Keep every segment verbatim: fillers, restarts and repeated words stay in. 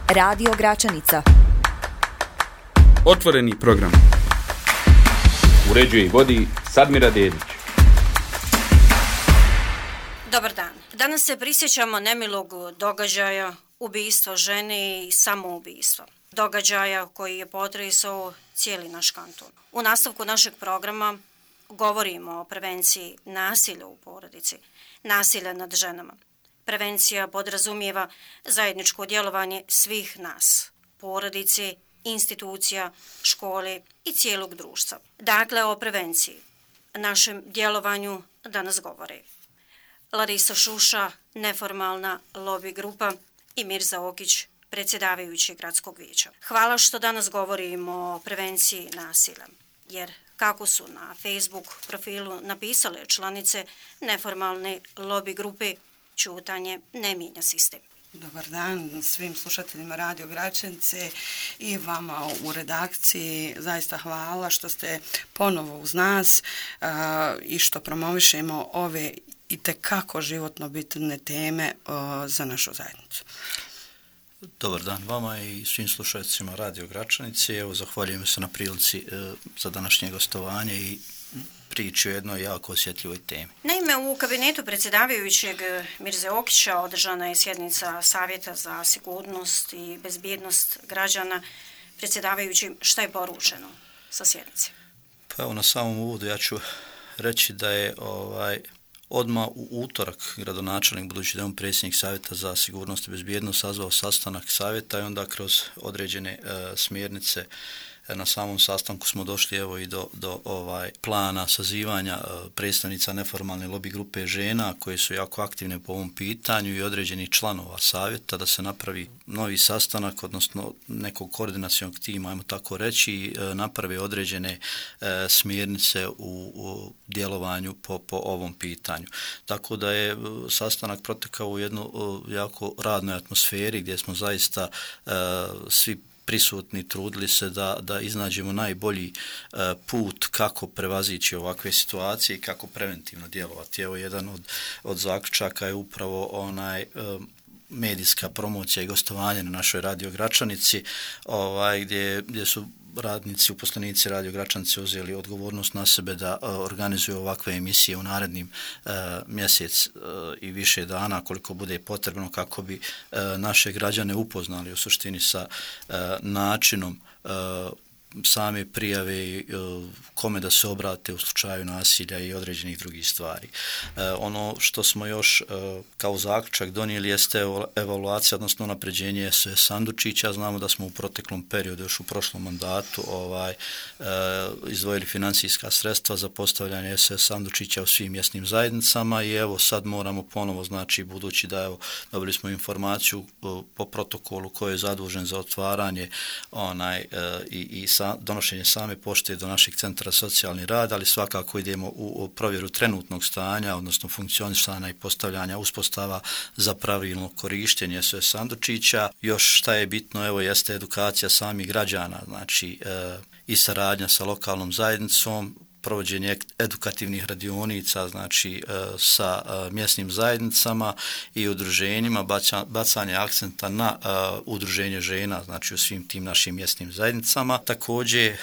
Radio Gračanica. Otvoreni program. Uređuje i vodi Sadmira Dedić. Dobar dan. Danas se prisjećamo nemilog događaja, ubistva žene i samoubistva. Događaja koji je potresao cijeli naš kanton. U nastavku našeg programa govorimo o prevenciji nasilja u porodici, nasilja nad ženama. Prevencija podrazumijeva zajedničko djelovanje svih nas, porodice, institucija, škole i cijelog društva. Dakle, o prevenciji, našem djelovanju danas govore Larisa Šuša, neformalna lobby grupa, i Mirza Okić, predsjedavajući gradskog vijeća. Hvala što danas govorimo o prevenciji nasilja, jer kako su na Facebook profilu napisale članice neformalne lobby grupe, ćutanje ne mijenja sistem. Dobar dan svim slušateljima Radio Gračanice i vama u redakciji. Zaista hvala što ste ponovo uz nas uh, i što promovišemo ove itekako životno bitne teme uh, za našu zajednicu. Dobar dan vama i svim slušateljima Radio Gračanice. Evo, zahvaljujem se na prilici uh, za današnje gostovanje i priči o jednoj jako osjetljivoj temi. Naime, u kabinetu predsjedavajućeg Mirze Okića održana je sjednica Savjeta za sigurnost i bezbjednost građana. Predsjedavajući, šta je poručeno sa sjednice? Pa evo, na samom uvodu ja ću reći da je ovaj odmah u utorak gradonačelnik, budući da je on predsjednik Savjeta za sigurnost i bezbjednost, sazvao sastanak savjeta i onda kroz određene e, smjernice na samom sastanku smo došli evo i do, do ovaj plana sazivanja predstavnica neformalne lobby grupe žena koje su jako aktivne po ovom pitanju i određenih članova savjeta da se napravi novi sastanak, odnosno nekog koordinacionog tima, ajmo tako reći, naprave određene e, smjernice u, u djelovanju po, po ovom pitanju. Tako da je sastanak protekao u jednoj jako radnoj atmosferi gdje smo zaista e, svi prisutni trudili se da, da iznađemo najbolji uh, put kako prevazići ovakve situacije i kako preventivno djelovati. Evo, jedan od, od zaključaka je upravo onaj um, medijska promocija i gostovanje na našoj Radio Gračanici, ovaj, gdje, gdje su radnici, uposlenici Radio Gračanice uzeli odgovornost na sebe da uh, organizuju ovakve emisije u narednim uh, mjesec uh, i više dana koliko bude potrebno kako bi uh, naše građane upoznali u suštini sa uh, načinom uh, same prijave i kome da se obrate u slučaju nasilja i određenih drugih stvari. E, ono što smo još e, kao zaključak donijeli jeste evaluacija, odnosno unapređenje S O S sandučića. Znamo da smo u proteklom periodu, još u prošlom mandatu, ovaj, e, izdvojili financijska sredstva za postavljanje S O S sandučića u svim mjesnim zajednicama i evo sad moramo ponovo, znači budući da evo dobili smo informaciju po protokolu koji je zadužen za otvaranje onaj e, i, i sa donošenje same pošte do našeg centra socijalni rad, ali svakako idemo u, u provjeru trenutnog stanja, odnosno funkcionisanja i postavljanja uspostava za pravilno korištenje S O S sandučića. Još šta je bitno, evo, jeste edukacija samih građana, znači e, i saradnja sa lokalnom zajednicom, provođenje edukativnih radionica, znači e, sa e, mjesnim zajednicama i udruženjima, baca, bacanje akcenta na e, udruženje žena, znači u svim tim našim mjesnim zajednicama. Također,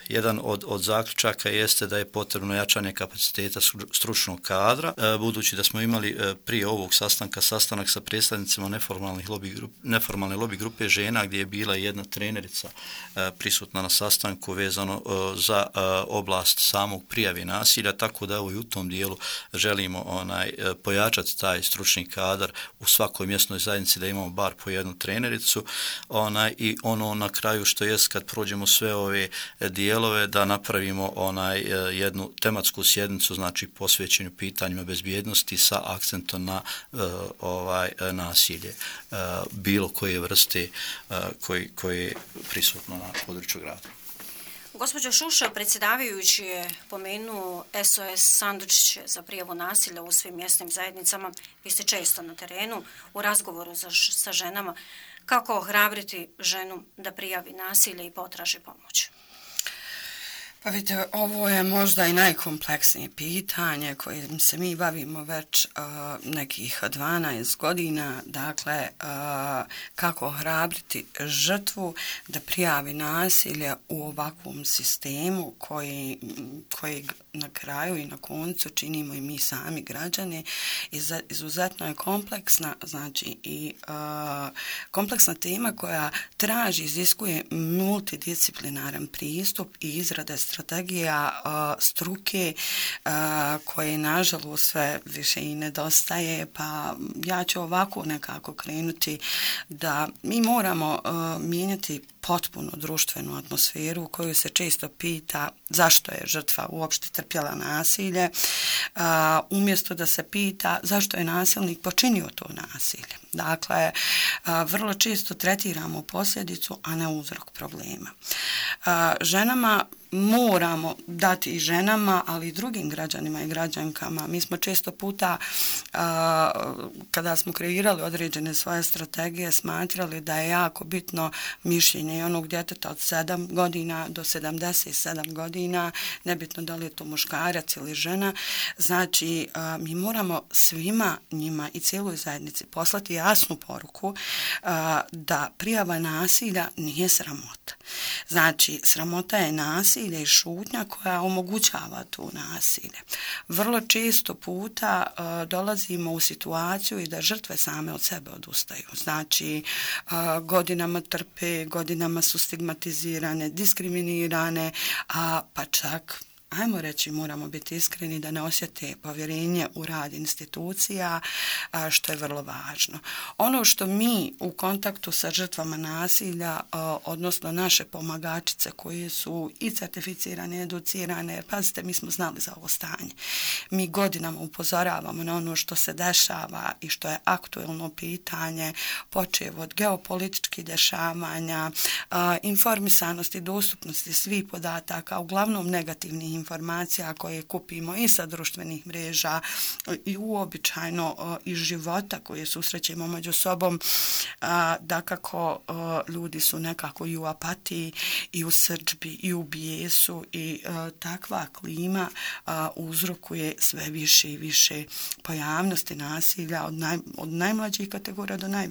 jedan od, od zaključaka jeste da je potrebno jačanje kapaciteta stručnog kadra, e, budući da smo imali e, prije ovog sastanka sastanak sa predstavnicima neformalnih lobby grup, neformalne lobby grupe žena gdje je bila jedna trenerica e, prisutna na sastanku vezano e, za e, oblast samog prijave nasilja, tako da evo i u tom dijelu želimo onaj e, pojačati taj stručni kadar u svakoj mjesnoj zajednici da imamo bar po jednu trenericu, onaj, i ono na kraju što jest kad prođemo sve ove dijele da napravimo onaj jednu tematsku sjednicu, znači posvećenju pitanjima bezbjednosti sa akcentom na uh, ovaj nasilje uh, bilo koje vrste uh, koji, koje je prisutno na području grada. Gospođo Šuša, predsjedavajući je pomenuo S O S sandučiće za prijavu nasilja u svim mjesnim zajednicama. Vi ste često na terenu u razgovoru za, sa ženama. Kako ohrabriti ženu da prijavi nasilje i potraži pomoć? Pa vidite, ovo je možda i najkompleksnije pitanje kojim se mi bavimo već uh, nekih dvanaest godina, dakle uh, kako ohrabriti žrtvu da prijavi nasilje u ovakvom sistemu koji, koji na kraju i na koncu činimo i mi sami građani. Izuzetno je kompleksna, znači i uh, kompleksna tema koja traži, iziskuje multidisciplinaran pristup i izrade strategija uh, struke uh, koje nažalost sve više i nedostaje, pa ja ću ovako nekako krenuti da mi moramo uh, mijenjati potpuno društvenu atmosferu u kojoj se često pita zašto je žrtva uopšte trpjela nasilje, uh, umjesto da se pita zašto je nasilnik počinio to nasilje. Dakle, uh, vrlo često tretiramo posljedicu, a ne uzrok problema. Uh, ženama moramo dati i ženama, ali i drugim građanima i građankama. Mi smo često puta, a, kada smo kreirali određene svoje strategije, smatrali da je jako bitno mišljenje onog djeteta od sedam godina do sedamdeset sedam godina, nebitno da li je to muškarac ili žena. Znači, a, mi moramo svima njima i cijeloj zajednici poslati jasnu poruku a, da prijava nasilja nije sramota. Znači, sramota je nasilje i šutnja koja omogućava tu nasilje. Vrlo često puta uh, dolazimo u situaciju i da žrtve same od sebe odustaju. Znači, uh, godinama trpe, godinama su stigmatizirane, diskriminirane, a pa čak ajmo reći, moramo biti iskreni da ne osjete povjerenje u rad institucija, što je vrlo važno. Ono što mi u kontaktu sa žrtvama nasilja, odnosno naše pomagačice koje su i certificirane, educirane, pazite, mi smo znali za ovo stanje. Mi godinama upozoravamo na ono što se dešava i što je aktuelno pitanje, počev od geopolitičkih dešavanja, informisanosti, dostupnosti svih podataka, uglavnom negativnih informacija koje kupimo i sa društvenih mreža i uobičajno iz života koje susrećemo među sobom, da kako ljudi su nekako i u apatiji i u srdžbi i u bijesu i takva klima uzrokuje sve više i više pojavnosti nasilja od, naj, od najmlađih kategorija do naj,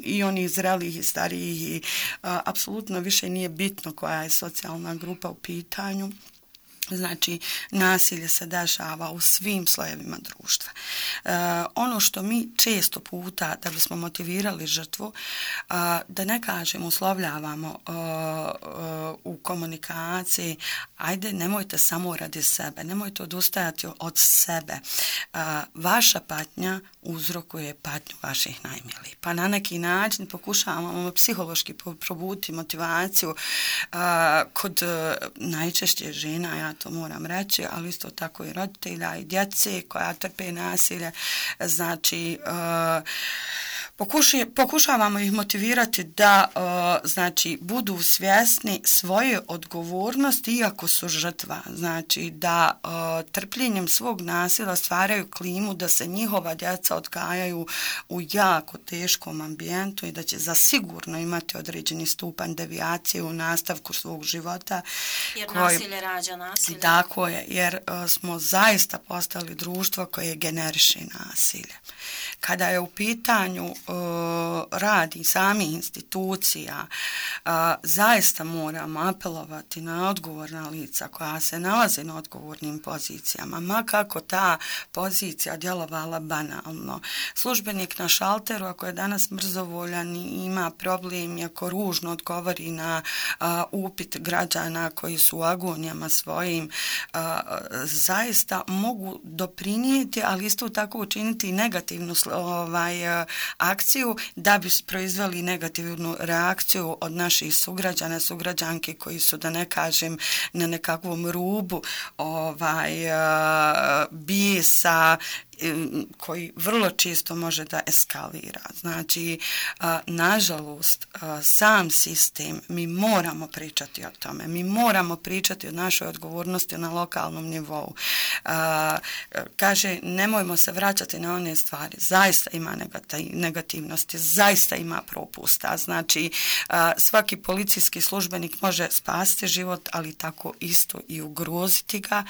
i onih zrelih i starijih i apsolutno više nije bitno koja je socijalna grupa u pitanju. Znači, nasilje se dešava u svim slojevima društva. E, ono što mi često puta, da bismo motivirali žrtvu, e, da ne kažem, uslovljavamo e, e, u komunikaciji, ajde, nemojte samo radi sebe, nemojte odustajati od sebe. E, vaša patnja uzrokuje patnju vaših najmilijih. Pa na neki način pokušavamo psihološki probuditi motivaciju e, kod e, najčešće žena, ja to moram reći, ali isto tako i roditelja i djece koja trpe nasilje. Znači, uh, Pokuši, pokušavamo ih motivirati da uh, znači budu svjesni svoje odgovornosti iako su žrtva. Znači da uh, trpljenjem svog nasilja stvaraju klimu da se njihova djeca odgajaju u jako teškom ambijentu i da će zasigurno imati određeni stupanj devijacije u nastavku svog života. Jer koji, nasilje rađa nasilje. Tako je, jer uh, smo zaista postali društvo koje generiše nasilje. Kada je u pitanju uh, radi samih institucija, uh, zaista moramo apelovati na odgovorna lica koja se nalaze na odgovornim pozicijama, ma kako ta pozicija djelovala banalno. Službenik na šalteru, ako je danas mrzovoljan i ima problem i ako ružno odgovori na uh, upit građana koji su u agonijama svojim, uh, zaista mogu doprinijeti, ali isto tako učiniti i negativnu ovaj, akciju da bi proizveli negativnu reakciju od naših sugrađana, sugrađanke koji su, da ne kažem, na nekakvom rubu ovaj, bijesa koji vrlo čisto može da eskalira. Znači, nažalost, sam sistem, mi moramo pričati o tome, mi moramo pričati o našoj odgovornosti na lokalnom nivou. Kaže, nemojmo se vraćati na one stvari, zaista ima negativnosti, zaista ima propusta. Znači, svaki policijski službenik može spasiti život, ali tako isto i ugroziti ga,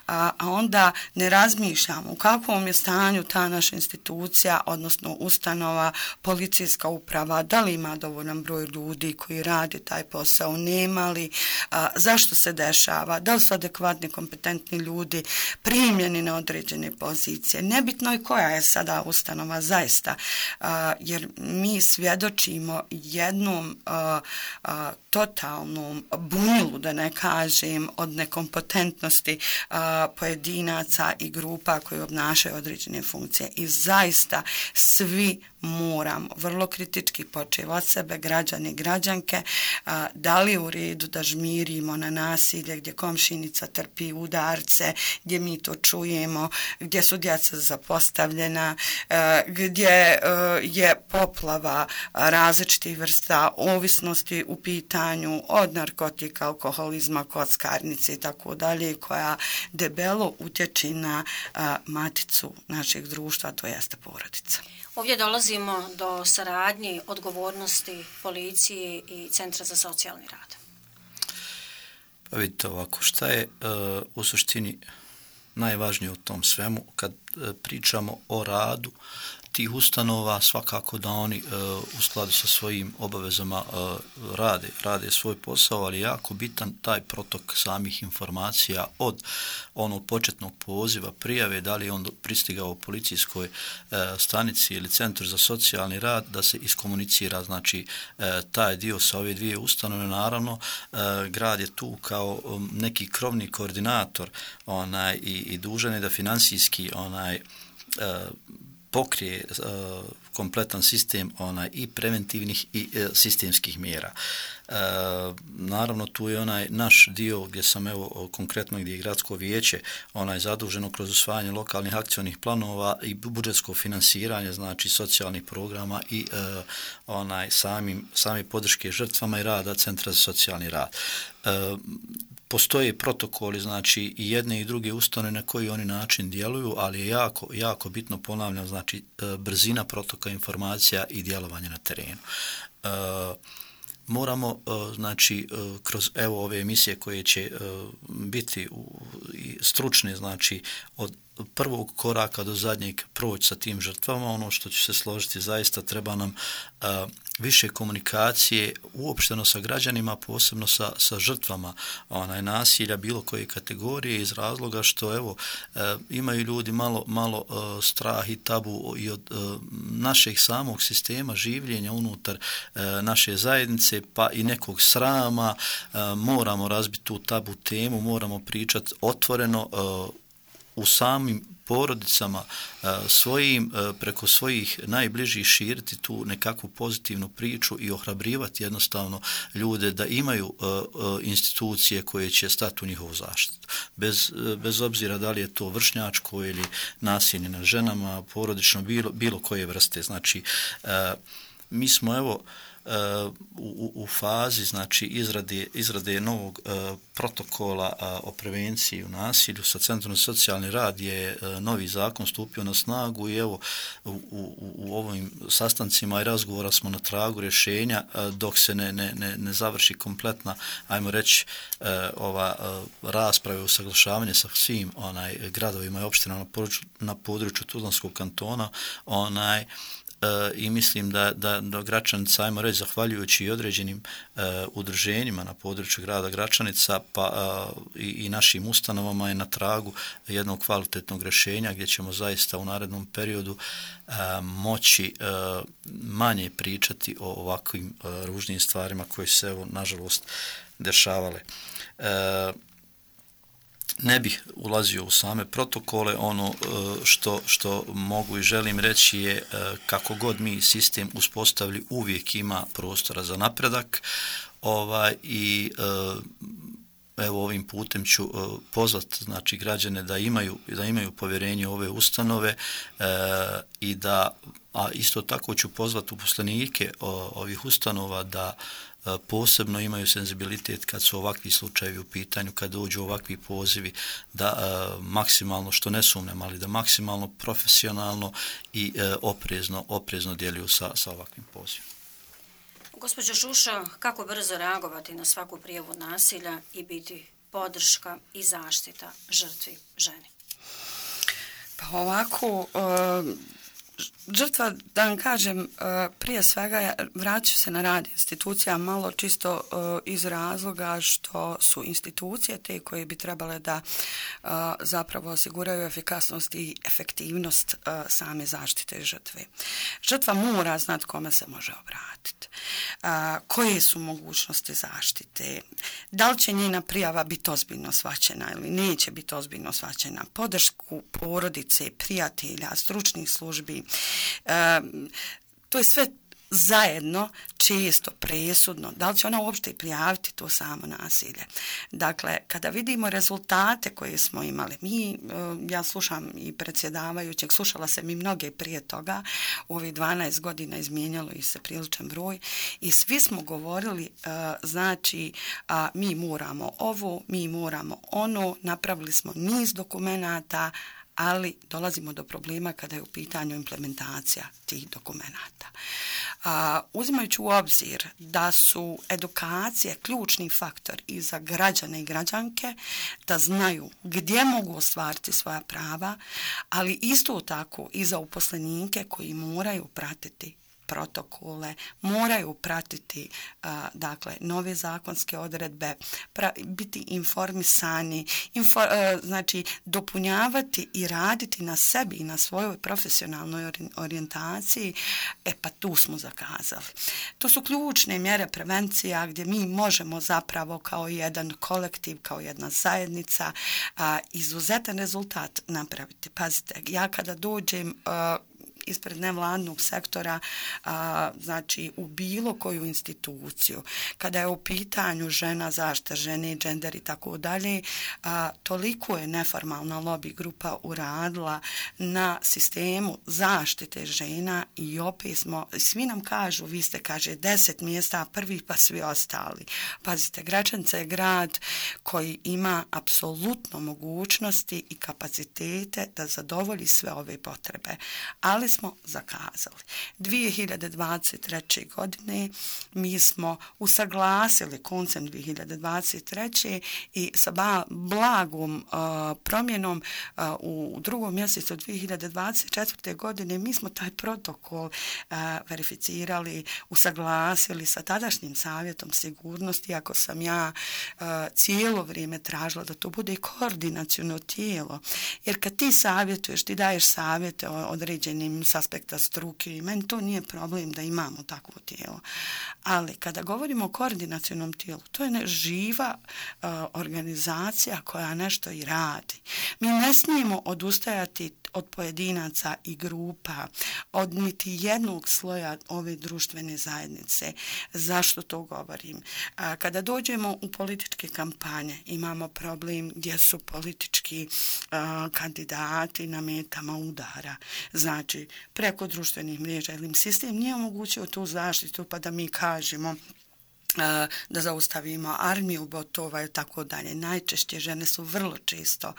a onda ne razmišljamo u kakvom je stanju ta naša institucija, odnosno ustanova, policijska uprava, da li ima dovoljan broj ljudi koji radi taj posao, nema li, a, zašto se dešava, da li su adekvatni, kompetentni ljudi primljeni na određene pozicije. Nebitno je koja je sada ustanova zaista, a, jer mi svjedočimo jednom a, a, totalnom bunilu, da ne kažem, od nekompetentnosti a, pojedinaca i grupa koji obnašaju određene funkcije. I zaista svi moramo vrlo kritički početi od sebe, građani i građanke, a, da li u redu da žmirimo na nasilje gdje komšinica trpi udarce, gdje mi to čujemo, gdje su djeca zapostavljena, a, gdje a, je poplava različitih vrsta ovisnosti u pitanju od narkotika, alkoholizma, kockarnice i tako dalje, koja debelo utječe na a, maticu našeg društva, to jeste porodica. Ovdje dolazimo do saradnje, odgovornosti policije i Centra za socijalni rad. Pa vidite ovako, šta je uh, u suštini najvažnije u tom svemu kad uh, pričamo o radu tih ustanova, svakako da oni uh, u skladu sa svojim obavezama uh, rade, rade svoj posao, ali jako bitan taj protok samih informacija od onog početnog poziva, prijave, da li je on pristigao u policijskoj uh, stanici ili Centru za socijalni rad, da se iskomunicira, znači uh, taj dio sa ove dvije ustanove. Naravno, uh, grad je tu kao um, neki krovni koordinator onaj, i, i dužan je da financijski onaj uh, pokrije uh, kompletan sistem onaj i preventivnih i uh, sistemskih mjera. Uh, naravno tu je onaj naš dio gdje sam evo konkretno gdje je gradsko vijeće onaj zaduženo kroz usvajanje lokalnih akcionih planova i budžetsko finansiranje, znači socijalnih programa i uh, onaj samim sami podrške žrtvama i rada Centra za socijalni rad. Uh, Postoje protokoli, znači i jedne i druge ustanove na koji oni način djeluju, ali je jako, jako bitno, ponavljam, znači brzina protoka informacija i djelovanje na terenu. E, moramo, znači, kroz evo ove emisije koje će biti stručne, znači od prvog koraka do zadnjeg proći sa tim žrtvama, ono što će se složiti, zaista treba nam uh, više komunikacije uopšteno sa građanima, posebno sa, sa žrtvama onaj, nasilja bilo koje kategorije, iz razloga što evo uh, imaju ljudi malo, malo uh, strah i tabu i od uh, našeg samog sistema življenja unutar uh, naše zajednice, pa i nekog srama. Uh, moramo razbiti tu tabu temu, moramo pričati otvoreno uh, u samim porodicama svojim, preko svojih najbližih širiti tu nekakvu pozitivnu priču i ohrabrivati jednostavno ljude da imaju institucije koje će stati u njihovu zaštitu. Bez, bez obzira da li je to vršnjačko ili nasilje nad ženama, porodično, bilo, bilo koje vrste. Znači, mi smo evo U, u fazi, znači, izrade, izrade novog uh, protokola uh, o prevenciji u nasilju sa Centrom za socijalni rad je uh, novi zakon stupio na snagu i evo u, u, u ovim sastancima i razgovora smo na tragu rješenja uh, dok se ne, ne, ne, ne završi kompletna, ajmo reći, uh, ova uh, rasprava i usaglašavanje sa svim onaj gradovima i opštinama na području, na području Tuzlanskog kantona, onaj i mislim da, da, da Gračanica, ajmo reći, zahvaljujući i određenim uh, udruženjima na području grada Gračanica, pa uh, i, i našim ustanovama je na tragu jednog kvalitetnog rješenja gdje ćemo zaista u narednom periodu uh, moći uh, manje pričati o ovakvim uh, ružnim stvarima koje se, evo, nažalost, dešavale. Uh, Ne bih ulazio u same protokole, ono što, što mogu i želim reći je kako god mi sistem uspostavili uvijek ima prostora za napredak ovaj, i evo ovim putem ću uh, pozvati znači građane da imaju da imaju povjerenje u ove ustanove uh, i da, a isto tako ću pozvati uposlenike o, ovih ustanova da uh, posebno imaju senzibilitet kad su ovakvi slučajevi u pitanju, kad dođu ovakvi pozivi, da uh, maksimalno, što ne sumnjam, ali da maksimalno profesionalno i uh, oprezno, oprezno djeluju sa, sa ovakvim pozivima. Gospođo Šuša, kako brzo reagovati na svaku prijavu nasilja i biti podrška i zaštita žrtvi ženi? Pa ovako, žrtva, da vam kažem, prije svega vraću se na rad institucija malo čisto iz razloga što su institucije te koje bi trebale da zapravo osiguraju efikasnost i efektivnost same zaštite žrtve. Žrtva mora znati kome se može obratiti, koje su mogućnosti zaštite, da li će njena prijava biti ozbiljno shvaćena ili neće biti ozbiljno shvaćena, podršku porodice, prijatelja, stručnih službi. E, to je sve zajedno često presudno. Da li će ona uopšte prijaviti to samo nasilje? Dakle, kada vidimo rezultate koje smo imali, mi, ja slušam i predsjedavajućeg, slušala sam i mnoge prije toga, u ovih dvanaest godina izmijenjalo i se priličan broj i svi smo govorili, znači, mi moramo ovo, mi moramo ono, napravili smo niz dokumenata, ali dolazimo do problema kada je u pitanju implementacija tih dokumenata. A, uzimajući u obzir da su edukacije ključni faktor i za građane i građanke, da znaju gdje mogu ostvariti svoja prava, ali isto tako i za uposlenike koji moraju pratiti protokole, moraju pratiti a, dakle nove zakonske odredbe, pra, biti informisani, info, a, znači dopunjavati i raditi na sebi i na svojoj profesionalnoj orijentaciji, e pa tu smo zakazali. To su ključne mjere prevencija gdje mi možemo zapravo kao jedan kolektiv, kao jedna zajednica a, izuzetan rezultat napraviti. Pazite, ja kada dođem a, ispred nevladnog sektora, a, znači u bilo koju instituciju, kada je u pitanju žena, zaštita žene, džender i tako dalje, toliko je neformalna lobby grupa uradila na sistemu zaštite žena i opet smo, svi nam kažu, vi ste, kaže, deset mjesta prvi pa svi ostali. Pazite, Gračanica je grad koji ima apsolutno mogućnosti i kapacitete da zadovolji sve ove potrebe, ali smo zakazali. dvije hiljade dvadeset treće. godine mi smo usaglasili koncem dvije hiljade dvadeset treće. i sa blagom uh, promjenom uh, u drugom mjesecu dvije hiljade dvadeset četvrte. godine mi smo taj protokol uh, verificirali, usaglasili sa tadašnjim savjetom sigurnosti, ako sam ja uh, cijelo vrijeme tražila da to bude koordinaciono tijelo. Jer kad ti savjetuješ, ti daješ savjete o određenim s aspekta struke i meni to nije problem da imamo takvo tijelo. Ali kada govorimo o koordinacionom tijelu, to je ne živa uh, organizacija koja nešto i radi. Mi ne smijemo odustajati od pojedinaca i grupa, od niti jednog sloja ove društvene zajednice. Zašto to govorim? A, kada dođemo u političke kampanje, imamo problem gdje su politički a, kandidati na metama udara. Znači, preko društvenih mreža ili im sistem nije omogućio tu zaštitu pa da mi kažemo da zaustavimo armiju botova i tako dalje. Najčešće žene su vrlo često,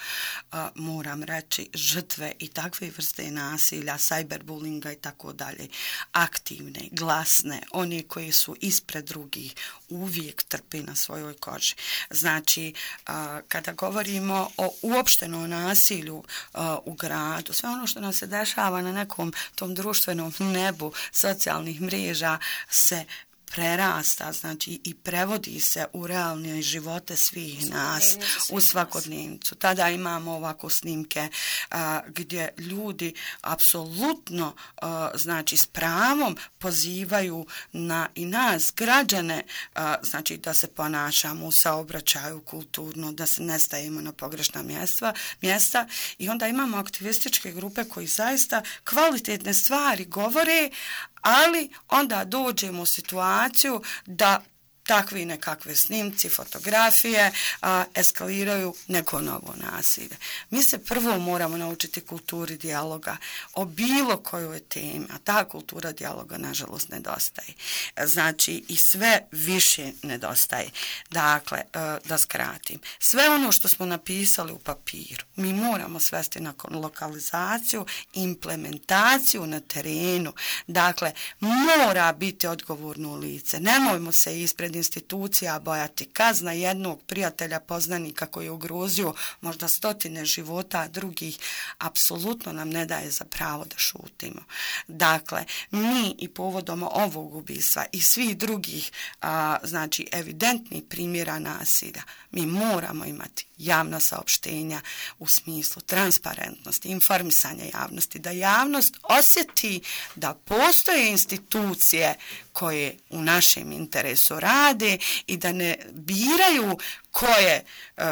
moram reći, žrtve i takve vrste nasilja, cyberbullinga i tako dalje. Aktivne, glasne, one koje su ispred drugih, uvijek trpe na svojoj koži. Znači, kada govorimo o uopštenom nasilju u gradu, sve ono što nam se dešava na nekom tom društvenom nebu socijalnih mreža se prerasta, znači i prevodi se u realne živote svih nas, u svakodnevnicu. Tada imamo ovako snimke a, gdje ljudi apsolutno a, znači s pravom pozivaju na i nas, građane, a, znači da se ponašamo u saobraćaju kulturno, da se ne stavimo na pogrešna mjesta, mjesta i onda imamo aktivističke grupe koji zaista kvalitetne stvari govore, ali onda dođemo u situaciju da takvi nekakve snimci, fotografije a, eskaliraju neko novo nasilje. Mi se prvo moramo naučiti kulturi dijaloga o bilo kojoj temi, a ta kultura dijaloga nažalost nedostaje. Znači i sve više nedostaje. Dakle, da skratim, sve ono što smo napisali u papiru, mi moramo svesti na lokalizaciju, implementaciju na terenu. Dakle, mora biti odgovorno lice. Nemojmo se ispred institucija bojati. Kazna jednog prijatelja, poznanika koji je ugrozio možda stotine života drugih, apsolutno nam ne daje za pravo da šutimo. Dakle, mi i povodom ovog ubistva i svih drugih a, znači evidentnih primjera nasilja, mi moramo imati javna saopštenja u smislu transparentnosti, informisanja javnosti, da javnost osjeti da postoje institucije koje u našem interesu rade i da ne biraju koje uh,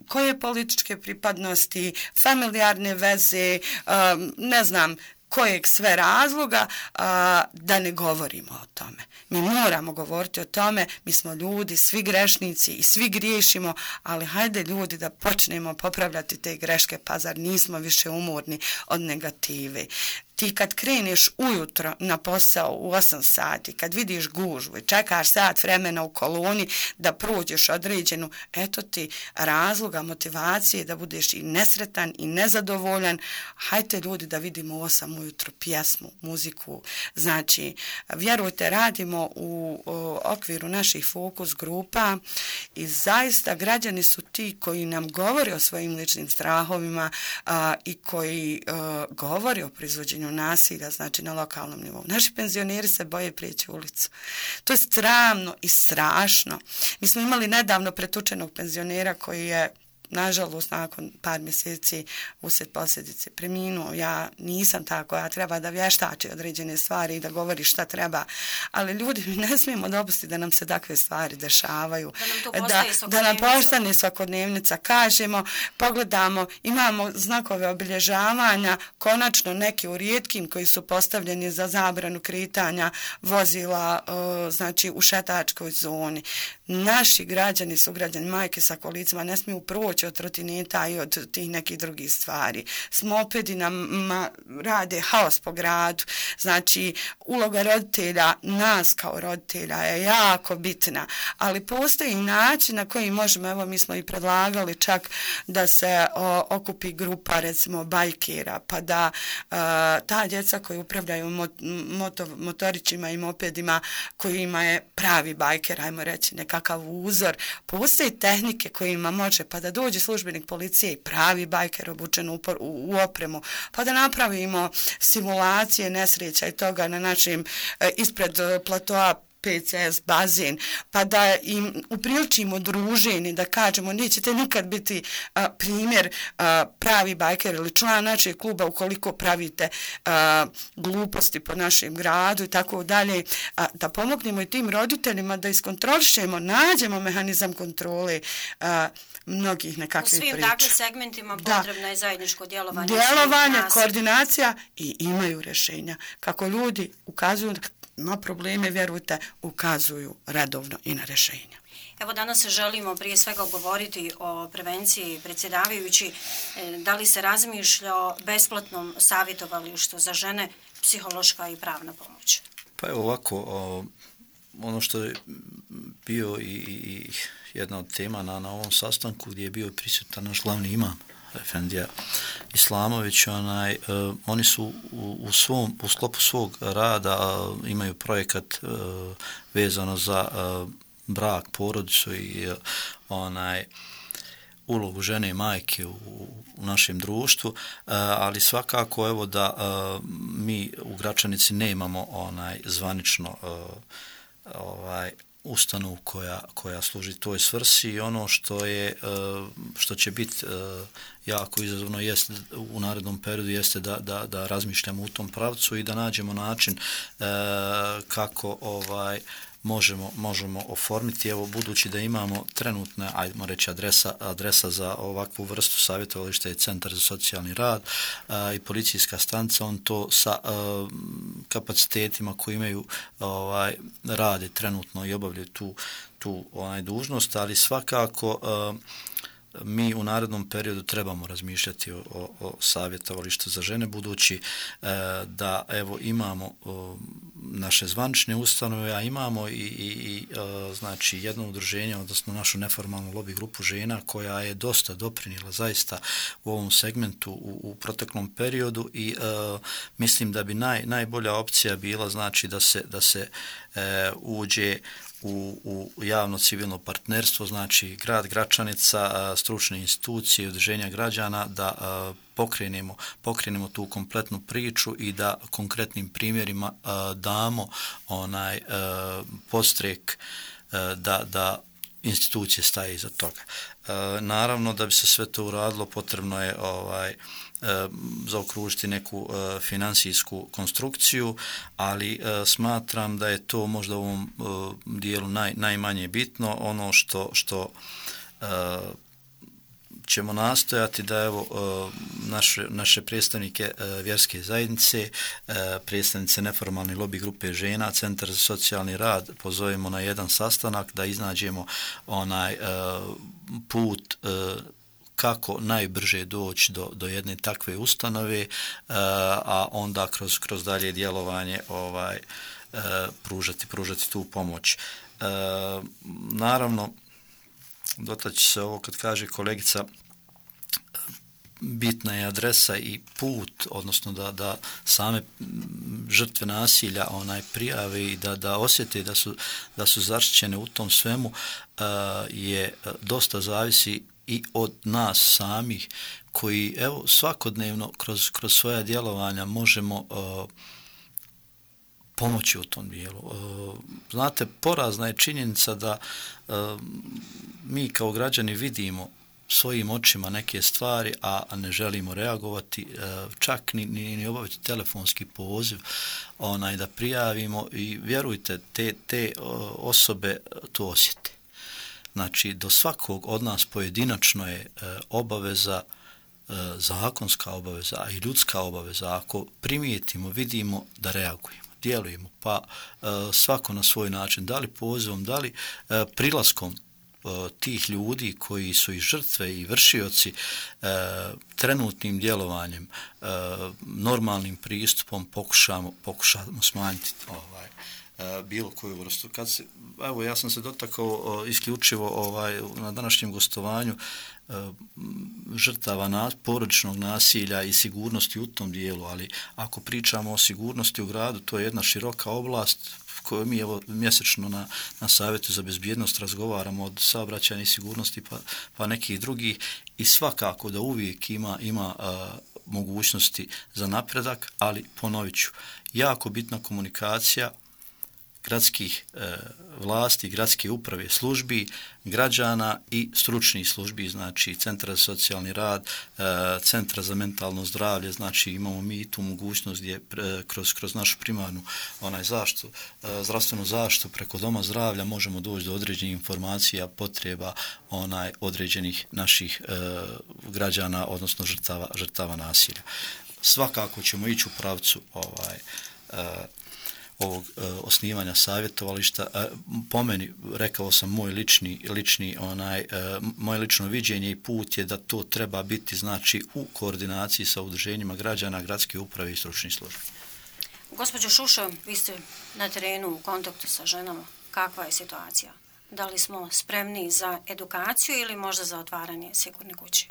koje političke pripadnosti, familijarne veze, um, ne znam, kojeg sve razloga, a, da ne govorimo o tome. Mi moramo govoriti o tome, mi smo ljudi, svi grešnici i svi griješimo, ali hajde ljudi da počnemo popravljati te greške, pa zar nismo više umorni od negative. Ti kad kreneš ujutro na posao u osam sati, kad vidiš gužvu i čekaš sat vremena u koloni da prođeš određenu, eto ti razloga, motivacije da budeš i nesretan i nezadovoljan. Hajte ljudi da vidimo u osam ujutro pjesmu, muziku. Znači, vjerujte, radimo u, u okviru naših fokus grupa i zaista građani su ti koji nam govore o svojim ličnim strahovima a, i koji a, govore o proizvođenju nasilja, znači na lokalnom nivou. Naši penzioneri se boje prijeći ulicu. To je sramno i strašno. Mi smo imali nedavno pretučenog penzionera koji je nažalost nakon par mjeseci uslijed posljedice preminuo. Ja nisam tako, ja treba da vještači određene stvari i da govori šta treba, ali ljudi, mi ne smijemo dopustiti da nam se takve stvari dešavaju. Da nam, da, da nam postane svakodnevnica. Kažemo, pogledamo, imamo znakove obilježavanja, konačno neki u rijetkim koji su postavljeni za zabranu kretanja vozila uh, znači u šetačkoj zoni. Naši građani su građani, majke sa kolicima, ne smiju proći od trotineta i od tih nekih drugih stvari. S mopedi nam rade haos po gradu. Znači, uloga roditelja, nas kao roditelja je jako bitna, ali postoji način na koji možemo, evo mi smo i predlagali čak da se o, okupi grupa recimo bajkera, pa da uh, ta djeca koji upravljaju mot, moto, motorićima i mopedima kojima je pravi bajker, ajmo reći nekakav uzor, postoji tehnike kojima može, pa da dođe službenik policije i pravi bajker obučen u, u opremu, pa da napravimo simulacije nesreća i toga na našim e, ispred platoa P C S bazen, pa da im upriličimo druženje, da kažemo nećete nikad biti a, primjer a, pravi bajker ili član našeg kluba ukoliko pravite a, gluposti po našem gradu i tako dalje, a, da pomognemo i tim roditeljima da iskontrolišemo, nađemo mehanizam kontrole a, mnogih nekakvih priča. U svim takvim segmentima potrebno da. je zajedničko djelovanje. Djelovanje, koordinacija i imaju rješenja. Kako ljudi ukazuju na probleme, vjerujte, ukazuju redovno i na rješenja. Evo danas želimo prije svega govoriti o prevenciji. Predsjedavajući, da li se razmišlja o besplatnom savjetovalištu za žene, psihološka i pravna pomoć? Pa evo ovako, o, ono što je bio i, i jedna od tema na, na ovom sastanku gdje je bio prisutan naš glavni imam, Efendija Islamović, onaj, uh, oni su u, u, svom, u sklopu svog rada uh, imaju projekat uh, vezano za uh, brak, porodicu i uh, onaj ulogu žene i majke u, u našem društvu, uh, ali svakako evo da uh, mi u Gračanici nemamo onaj zvanično uh, ovaj ustanovu koja, koja služi toj svrsi i ono što je što će biti jako izazovno jest u narednom periodu jeste da, da, da razmišljamo u tom pravcu i da nađemo način kako ovaj možemo, možemo oformiti. Evo, budući da imamo trenutna, ajmo reći, adresa, adresa za ovakvu vrstu savjetovališta je Centar za socijalni rad a, i policijska stanica, on to sa a, kapacitetima koji imaju ovaj, rade trenutno i obavljaju tu, tu onaj, dužnost, ali svakako a, mi u narednom periodu trebamo razmišljati o, o, o savjetovalištu za žene, budući e, da evo imamo o, naše zvanične ustanove, a imamo i, i, i e, znači jedno udruženje, odnosno našu neformalnu lobby grupu žena koja je dosta doprinijela zaista u ovom segmentu u, u proteklom periodu i e, mislim da bi naj, najbolja opcija bila znači da se, da se e, uđe U, u javno civilno partnerstvo, znači grad Gračanica, stručne institucije, udruženja građana, da a, pokrenemo, pokrenemo tu kompletnu priču i da konkretnim primjerima a, damo onaj a, podstrek a, da, da institucije staje iza toga. A, naravno, da bi se sve to uradilo, potrebno je ovaj zaokružiti neku uh, financijsku konstrukciju, ali uh, smatram da je to možda u ovom uh, dijelu naj, najmanje bitno. Ono što, što uh, ćemo nastojati da evo uh, naše, naše predstavnike uh, vjerske zajednice, uh, predstavnice neformalne lobby grupe žena, Centar za socijalni rad pozovemo na jedan sastanak da iznađemo onaj uh, put uh, kako najbrže doći do, do jedne takve ustanove, a onda kroz, kroz dalje djelovanje ovaj, pružati, pružati tu pomoć. Naravno, dotaći se ovo kad kaže kolegica, bitna je adresa i put, odnosno da, da same žrtve nasilja onaj prijave i da, da osjete da su, da su zaštićene u tom svemu, je dosta zavisi i od nas samih koji evo svakodnevno kroz, kroz svoja djelovanja možemo uh, pomoći u tom dijelu. Uh, znate, porazna je činjenica da uh, mi kao građani vidimo svojim očima neke stvari, a ne želimo reagovati, uh, čak ni, ni, ni obaviti telefonski poziv onaj, da prijavimo i vjerujte, te, te uh, osobe to osjete. Znači, do svakog od nas pojedinačno je e, obaveza, e, zakonska obaveza, a i ljudska obaveza. Ako primijetimo, vidimo da reagujemo, djelujemo, pa e, svako na svoj način, da li pozivom, da li e, prilaskom e, tih ljudi koji su i žrtve i vršioci, e, trenutnim djelovanjem, e, normalnim pristupom pokušamo, pokušamo smanjiti ovaj bilo koju vrstu. Kad se, evo, ja sam se dotakao isključivo ovaj, na današnjem gostovanju žrtava na, porodičnog nasilja i sigurnosti u tom dijelu, ali ako pričamo o sigurnosti u gradu, to je jedna široka oblast koju mi evo mjesečno na, na Savjetu za bezbjednost razgovaramo od saobraćajne sigurnosti pa, pa nekih drugih i svakako da uvijek ima, ima a, mogućnosti za napredak, ali ponovit ću, jako bitna komunikacija gradskih e, vlasti, gradske uprave, službi, građana i stručnih službi, znači Centra za socijalni rad, e, Centra za mentalno zdravlje, znači imamo mi tu mogućnost gdje pre, kroz, kroz našu primarnu onaj zaštitu, e, zdravstvenu zaštitu preko doma zdravlja možemo doći do određenih informacija, potreba onaj određenih naših e, građana, odnosno žrtava, žrtava nasilja. Svakako ćemo ići u pravcu ovaj e, ovog e, osnivanja savjetovališta. E, po meni, rekao sam, moj lični, lični onaj, e, moje lično viđenje i put je da to treba biti znači u koordinaciji sa udruženjima građana, gradske uprave i stručnih službi. Gospođo Šušo, vi ste na terenu u kontaktu sa ženama. Kakva je situacija? Da li smo spremni za edukaciju ili možda za otvaranje sigurne kuće?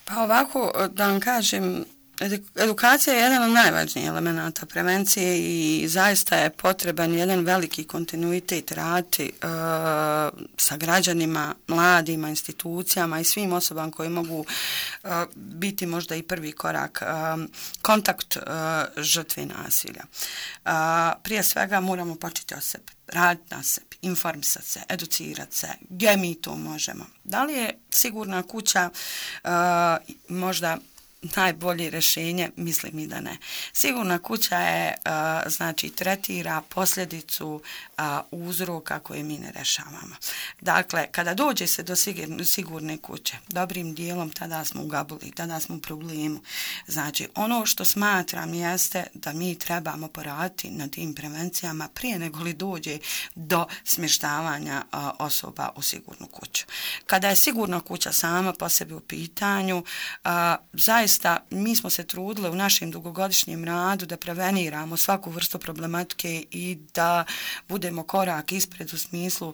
Pa ovako, da vam kažem, edukacija je jedan od najvažnijih elemenata prevencije i zaista je potreban jedan veliki kontinuitet raditi e, sa građanima, mladima, institucijama i svim osobama koji mogu e, biti možda i prvi korak, e, kontakt e, žrtve nasilja. E, prije svega moramo početi od sebe, raditi na sebi, informisati se, educirati se, gdje mi to možemo. Da li je sigurna kuća e, možda najbolje rješenje, mislim i da ne. Sigurna kuća je, znači, tretira posljedicu uzroka koje mi ne rješavamo. Dakle, kada dođe se do sigurne kuće, dobrim dijelom tada smo u gabuli, tada smo u problemu. Znači, ono što smatram jeste da mi trebamo poraditi na tim prevencijama prije nego li dođe do smještavanja osoba u sigurnu kuću. Kada je sigurna kuća sama po sebi u pitanju, zaista mi smo se trudili u našem dugogodišnjem radu da preveniramo svaku vrstu problematike i da budemo korak ispred u smislu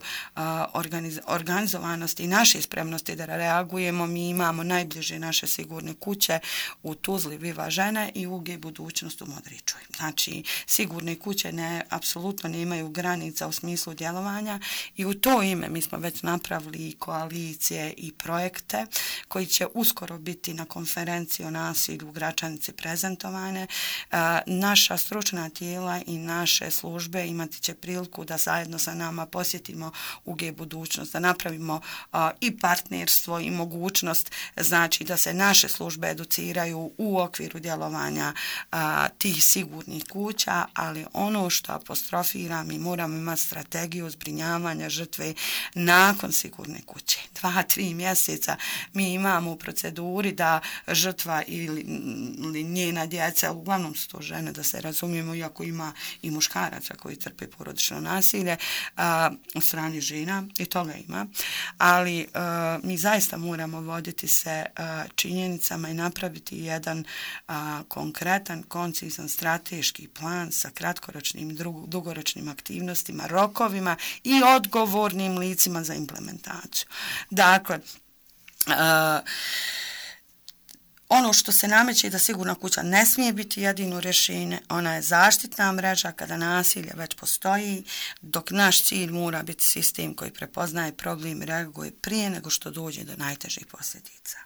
organiz, organizovanosti i naše spremnosti da reagujemo. Mi imamo najbliže naše sigurne kuće u Tuzli Viva žene i U G Budućnost u Modričoj. Znači, sigurne kuće ne, apsolutno nemaju granica u smislu djelovanja i u to ime mi smo već napravili i koalicije i projekte koji će uskoro biti na konferenciji o nasilju u Gračanici prezentovane. E, naša stručna tijela i naše službe imati će priliku da zajedno sa nama posjetimo U G Budućnost, da napravimo a, i partnerstvo i mogućnost, znači da se naše službe educiraju u okviru djelovanja a, tih sigurnih kuća, ali ono što apostrofiram, mi moramo imati strategiju zbrinjavanja žrtve nakon sigurne kuće. Dva, tri mjeseca mi imamo u proceduri da žrtva ili, ili njena djeca, uglavnom su to žene, da se razumijemo, iako ima i muškaraca koji trpe porodično nasilje a, od strane žena, i toga ima, ali a, mi zaista moramo voditi se a, činjenicama i napraviti jedan a, konkretan, koncizan, strateški plan sa kratkoročnim i dugoročnim aktivnostima, rokovima i odgovornim licima za implementaciju. Dakle, a, ono što se nameće je da sigurna kuća ne smije biti jedino rješenje, ona je zaštitna mreža kada nasilje već postoji, dok naš cilj mora biti sistem koji prepoznaje problem i reaguje prije nego što dođe do najtežih posljedica.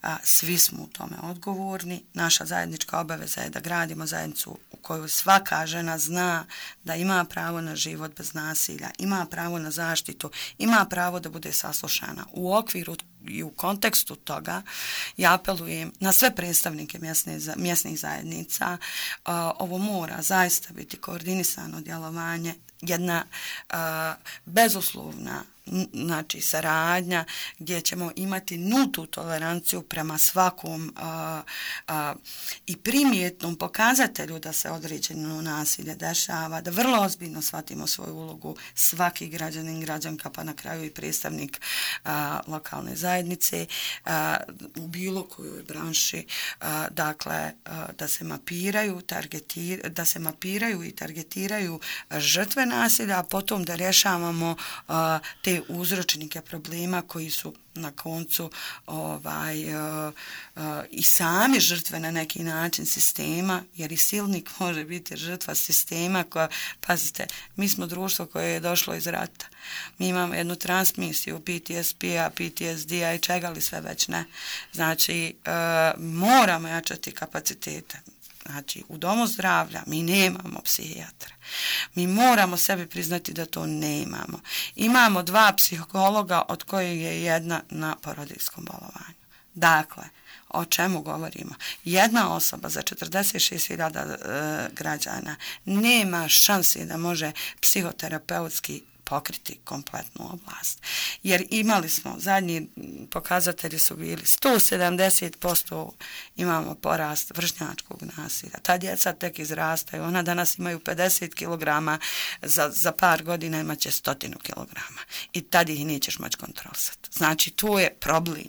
A, svi smo u tome odgovorni. Naša zajednička obaveza je da gradimo zajednicu u kojoj svaka žena zna da ima pravo na život bez nasilja, ima pravo na zaštitu, ima pravo da bude saslušana. U okviru i u kontekstu toga ja apelujem na sve predstavnike mjesne, mjesnih zajednica. A, ovo mora zaista biti koordinisano djelovanje, jedna a, bezuslovna znači saradnja gdje ćemo imati nultu toleranciju prema svakom a, a, i primjetnom pokazatelju da se određeno nasilje dešava, da vrlo ozbiljno shvatimo svoju ulogu, svaki građanin, građanka, pa na kraju i predstavnik a, lokalne zajednice a, u bilo kojoj branši, a, dakle a, da se mapiraju, targetir, da se mapiraju i targetiraju žrtve nasilja, a potom da rješavamo a, te uzročnike problema koji su na koncu ovaj uh, uh, i sami žrtve na neki način sistema, jer i silnik može biti žrtva sistema koja, pazite, mi smo društvo koje je došlo iz rata. Mi imamo jednu transmisiju P T S P-a, P T S D-a i čega li sve već ne. Znači, uh, moramo jačati kapacitete. Znači, u domu zdravlja mi nemamo psihijatra. Mi moramo sebi priznati da to nemamo. Imamo dva psihologa od kojih je jedna na porodiljskom bolovanju. Dakle, o čemu govorimo? Jedna osoba za četrdeset šest hiljada e, građana nema šanse da može psihoterapeutski pokriti kompletnu oblast. Jer imali smo, zadnji pokazatelji su bili sto sedamdeset posto imamo porast vršnjačkog nasilja. Ta djeca tek izrastaju, ona danas imaju pedeset kilograma, za, za par godina imaće stotinu kilograma. I tad ih nećeš moći kontrolisati. Znači, tu je problem.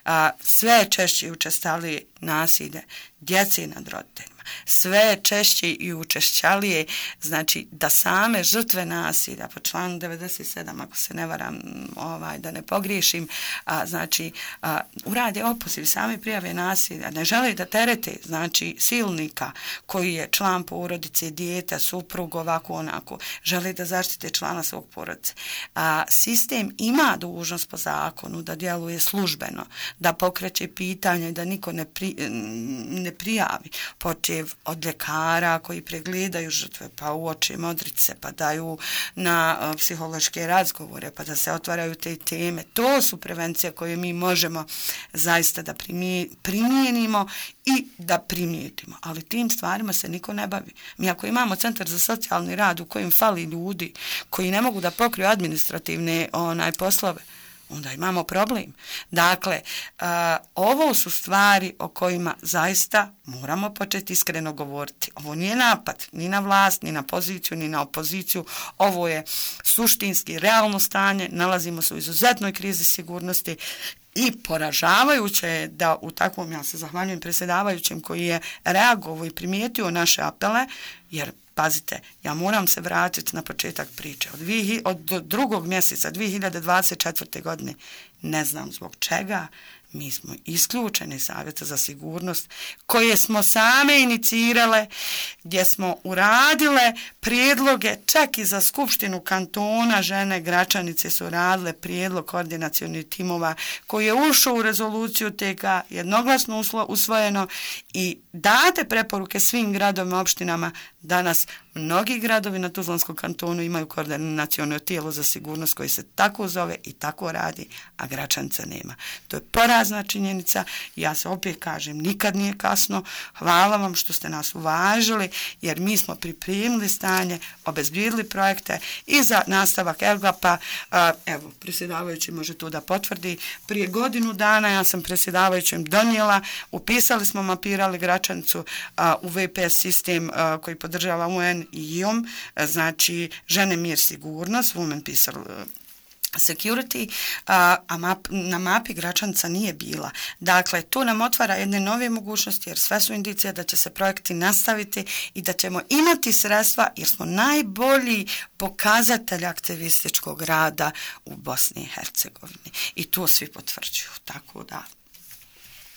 A, sve češće i učestalije nasilje djece nad roditeljima. Sve češće i učešćalije, znači da same žrtve nasilja, po članu devedeset sedam, ako se ne varam, ovaj, da ne pogriješim, a, znači a, urade opoziv, sami prijave nasilja, ne žele da terete, znači silnika koji je član porodice, dijete, suprug, ovako, onako, žele da zaštite člana svog porodice. A, sistem ima dužnost po zakonu da djeluje službeno, da pokreće pitanje, da niko ne, pri, ne prijavi početak zahtjev od ljekara koji pregledaju žrtve, pa uoče modrice, pa daju na uh, psihološke razgovore, pa da se otvaraju te teme. To su prevencije koje mi možemo zaista da primijenimo i da primijetimo. Ali tim stvarima se niko ne bavi. Mi ako imamo centar za socijalni rad u kojem fali ljudi koji ne mogu da pokriju administrativne onaj poslove, onda imamo problem. Dakle, uh, ovo su stvari o kojima zaista moramo početi iskreno govoriti. Ovo nije napad ni na vlast, ni na poziciju, ni na opoziciju. Ovo je suštinski, realno stanje. Nalazimo se u izuzetnoj krizi sigurnosti i poražavajuće je da u takvom, ja se zahvaljujem predsjedavajućem koji je reagovao i primijetio naše apele, jer pazite, ja moram se vratiti na početak priče. Od, dvije, od drugog mjeseca dvije hiljade dvadeset četvrte. godine, ne znam zbog čega, mi smo isključeni Savjeta za sigurnost koje smo same inicirale, gdje smo uradile prijedloge, čak i za Skupštinu kantona, žene Gračanice su radile prijedlog koordinacionih timova koji je ušao u rezoluciju T K, jednoglasno usvojeno i date preporuke svim gradovima, opštinama. Danas mnogi gradovi na Tuzlanskom kantonu imaju koordinaciono tijelo za sigurnost koji se tako zove i tako radi, a Gračanica nema. To je porazna činjenica. Ja se opet kažem, nikad nije kasno. Hvala vam što ste nas uvažili, jer mi smo pripremili stanje, obezbijedili projekte i za nastavak Ergapa. Evo, predsjedavajući može to da potvrdi. Prije godinu dana ja sam predsjedavajućem donijela, upisali smo, mapirali Gračanicu u V P S sistem koji podržava U N i I O M, znači žene, mir, sigurnost, Women, Peace, Security, a, a map, na mapi Gračanica nije bila. Dakle, to nam otvara jedne nove mogućnosti, jer sve su indicije da će se projekti nastaviti i da ćemo imati sredstva, jer smo najbolji pokazatelj aktivističkog rada u Bosni i Hercegovini. I to svi potvrđuju. Tako da...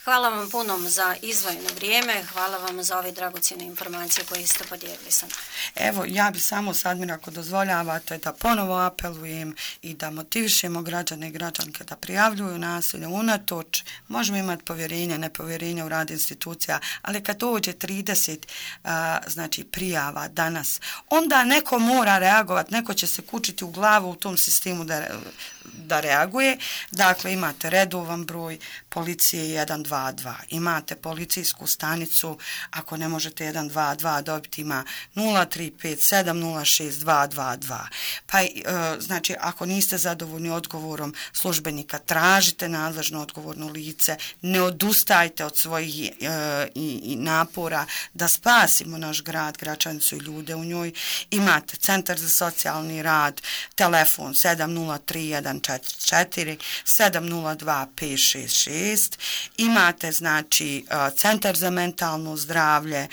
Hvala vam puno za izdvojeno vrijeme, hvala vam za ove dragocjene informacije koje ste podijelili sa nama. Evo, ja bi samo sad mi ako dozvoljavate da ponovo apelujem i da motivišemo građane i građanke da prijavljuju nasilje unatoč. Možemo imati povjerenje, nepovjerenje u rad institucija, ali kad dođe trideset a, znači prijava danas, onda neko mora reagovati, neko će se kučiti u glavu u tom sistemu da da reaguje. Dakle, imate redovan broj policije jedan dva dva. Imate policijsku stanicu, ako ne možete jedan dva dva dobiti, ima nula tri pet sedam nula šest dva dva dva. Pa, e, znači, ako niste zadovoljni odgovorom službenika, tražite nadležno odgovorno lice, ne odustajte od svojih e, i, i napora da spasimo naš grad, Gračanicu i ljude u njoj. Imate Centar za socijalni rad, telefon sedam nula tri jedan četiri četiri sedam nula dva pet šest šest. Imate, znači, Centar za mentalno zdravlje,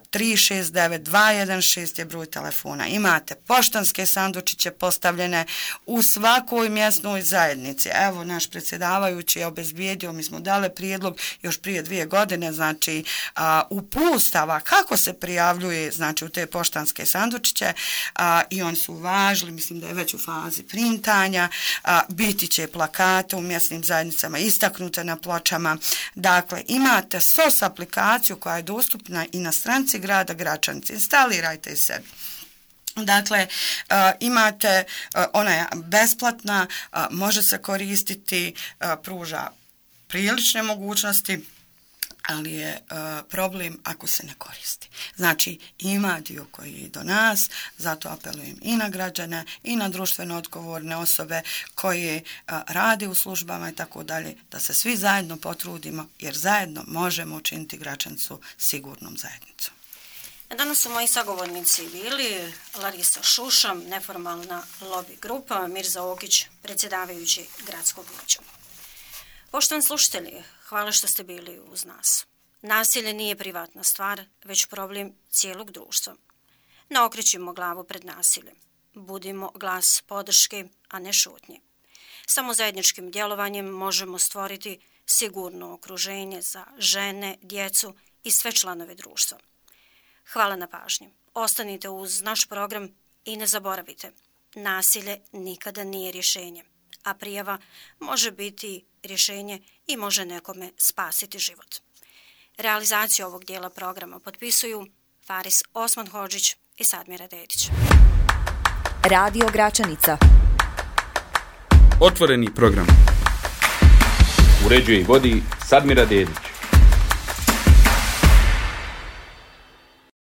tri šest devet dva jedan šest je broj telefona. Imate poštanske sandučiće postavljene u svakoj mjesnoj zajednici. Evo, naš predsjedavajući je obezbijedio, mi smo dali prijedlog još prije dvije godine, znači, upustava kako se prijavljuje, znači, u te poštanske sandučiće, i oni su uvažili, mislim da je već u fazi printanja, biti će plakate u mjesnim zajednicama istaknute na pločama. Dakle, imate S O S aplikaciju koja je dostupna i na stranici grada Gračanice. Instalirajte i sebi. Dakle, uh, imate, uh, ona je besplatna, uh, može se koristiti, uh, pruža prilične mogućnosti, ali je uh, problem ako se ne koristi. Znači, ima dio koji je do nas, zato apelujem i na građane i na društveno odgovorne osobe koje uh, rade u službama i tako dalje, da se svi zajedno potrudimo, jer zajedno možemo učiniti Gračanicu sigurnom zajednicom. Danas su moji sagovornici bili Larisa Šušam, neformalna lobby grupa, Mirza Okić, predsjedavajući gradskog vijeća. Poštovani slušatelji, hvala što ste bili uz nas. Nasilje nije privatna stvar, već problem cijelog društva. Ne okrećimo glavu pred nasiljem. Budimo glas podrške, a ne šutnje. Samo zajedničkim djelovanjem možemo stvoriti sigurno okruženje za žene, djecu i sve članove društva. Hvala na pažnji. Ostanite uz naš program i ne zaboravite, nasilje nikada nije rješenje, a prijava može biti rješenje i može nekome spasiti život. Realizaciju ovog dijela programa potpisuju Faris Osman-Hodžić i Sadmira Dedić. Radio Gračanica. Otvoreni program. Uređuje i vodi Sadmira Dedić.